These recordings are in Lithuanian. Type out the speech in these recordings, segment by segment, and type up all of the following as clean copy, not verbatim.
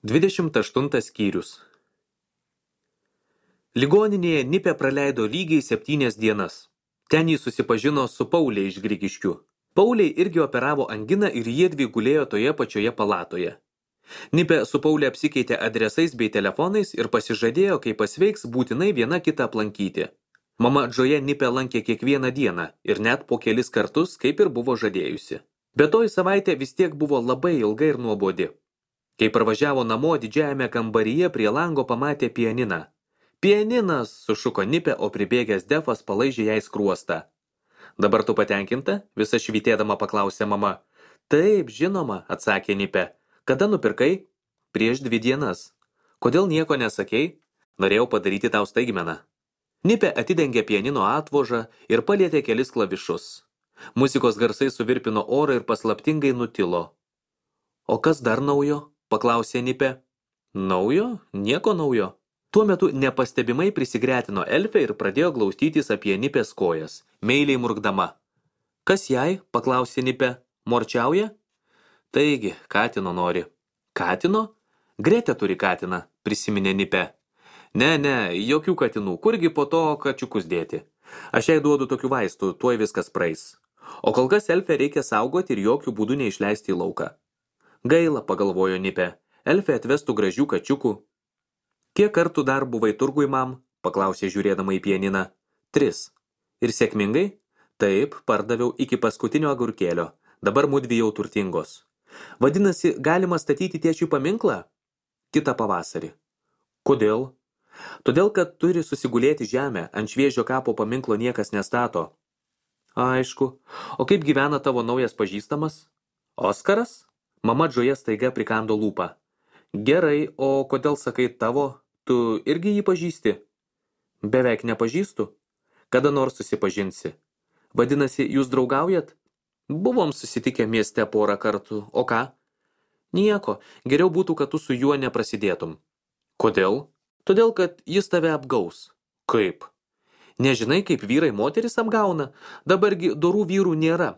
28 skyrius. Ligoninėje Nipė praleido lygiai 7 dienas. Ten jį susipažino su Paulė iš Grigiškių. Pauliai irgi operavo anginą ir jiedvi gulėjo toje pačioje palatoje. Nipė su Paulė apsikeitė adresais bei telefonais ir pasižadėjo, kai pasveiks, būtinai viena kitą aplankyti. Mama Džoja Nipę lankė kiekvieną dieną ir net po kelis kartus, kaip ir buvo žadėjusi. Bet toji savaitė vis tiek buvo labai ilga ir nuobodi. Kai parvažiavo namo, didžiajame kambaryje prie lango pamatė pianiną. Pianinas, sušuko Nipė, o pribėgęs Defas palaižė jai skruostą. Dabar tu patenkinta? Visa švytėdama paklausė mama. Taip, žinoma, atsakė Nipė. Kada nupirkai? Prieš 2 dienas. Kodėl nieko nesakei? Norėjau padaryti tau staigmeną. Nipė atidengė pianino atvožą ir palietė kelis klavišus. Muzikos garsai suvirpino orą ir paslaptingai nutilo. O kas dar naujo? Paklausė Nipė. Naujo? Nieko naujo. Tuo metu nepastebimai prisigretino Elfė ir pradėjo glaustytis apie Nipės kojas, meiliai murkdama. Kas jai? Paklausė Nipė. Morčiauja? Taigi, katino nori. Katino? Gretė turi katiną, prisiminė Nipė. Ne, jokių katinų, kurgi po to kačiukus dėti. Aš jai duodu tokių vaistų, tuoj viskas praeis. O kol kas Elfę reikia saugoti ir jokių būdų neišleisti į lauką. Gaila, pagalvojo Nipė, Elfė atvestų gražių kačiukų. Kiek kartų dar buvai turgui, mam? Paklausė žiūrėdama į pianiną. 3. Ir sėkmingai? Taip, pardaviau iki paskutinio agurkėlio. Dabar mudvi jau turtingos. Vadinasi, galima statyti tėčiui paminklą? Kitą pavasarį. Kodėl? Todėl, kad turi susigulėti žemę, ant šviežio kapo paminklo niekas nestato. Aišku. O kaip gyvena tavo naujas pažįstamas? Oskaras? Mama Džoja staiga prikando lūpą. Gerai, o kodėl sakai tavo? Tu irgi jį pažįsti? Beveik nepažįstu. Kada nors susipažinsi. Vadinasi, jūs draugaujat? Buvom susitikę mieste porą kartų. O ką? Nieko. Geriau būtų, kad tu su juo neprasidėtum. Kodėl? Todėl, kad jis tave apgaus. Kaip? Nežinai, kaip vyrai moteris apgauna? Dabargi dorų vyrų nėra.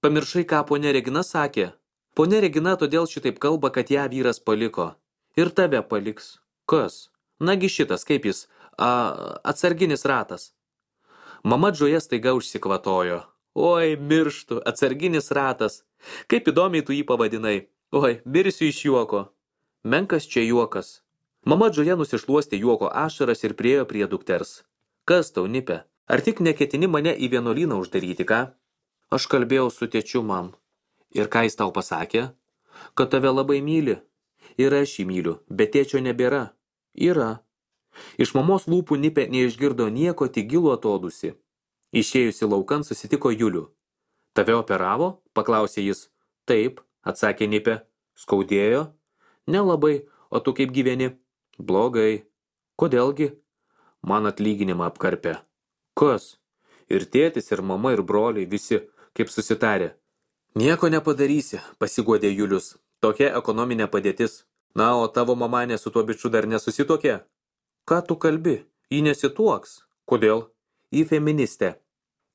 Pamiršai, ką ponia Regina sakė. Ponia Regina todėl šitaip kalba, kad ją vyras paliko. Ir tave paliks. Kas? Nagi šitas, kaip jis? Atsarginis ratas. Mama Džoja staiga užsikvatojo. Oi, mirštu, atsarginis ratas. Kaip įdomiai tu jį pavadinai. Oi, mirsiu iš juoko. Menkas čia juokas. Mama Džoja nusišluostė juoko ašaras ir priėjo prie dukters. Kas tau, Nipė? Ar tik neketini mane į vienuolyną uždaryti, ką? Aš kalbėjau su tėčiu, mam. Ir ką jis tau pasakė? Kad tave labai myli. Ir aš jį myliu, bet tėčio nebėra. Yra. Iš mamos lūpų Nipė neišgirdo nieko, tik gilų atodusį. Išėjusi laukan susitiko Julių. Tave operavo? Paklausė jis. Taip, atsakė Nipė. Skaudėjo? Nelabai, o tu kaip gyveni? Blogai. Kodėlgi? Man atlyginimą apkarpė. Kas? Ir tėtis, ir mama, ir broliai, visi, kaip susitarė. Nieko nepadarysi, pasiguodė Julius. Tokia ekonominė padėtis. Na, o tavo mamanė su tuo biču dar nesusitokė? Ką tu kalbi? Ji nesituoks. Kodėl? Ji feministė.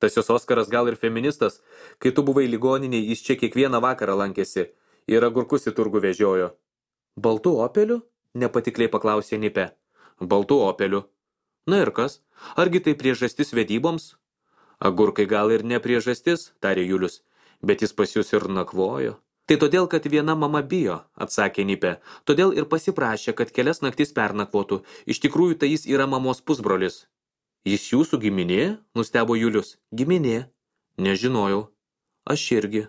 Tas jos Oskaras gal ir feministas. Kai tu buvai ligoninėj, jis čia kiekvieną vakarą lankėsi. Ir agurkus į turgų vežiojo. Baltų opelių? Nepatikliai paklausė Nipė. Baltų opelių. Na ir kas? Argi tai priežastis vedyboms? Agurkai gal ir ne priežastis, tarė Julius. Bet jis pas jūs ir nakvojo. Tai todėl, kad viena mama bijo, atsakė Nipė. Todėl ir pasiprašė, kad kelias naktis pernakvotų. Iš tikrųjų, tai jis yra mamos pusbrolis. Jis jūsų giminė? Nustebo Julius. Giminė. Nežinojau. Aš irgi.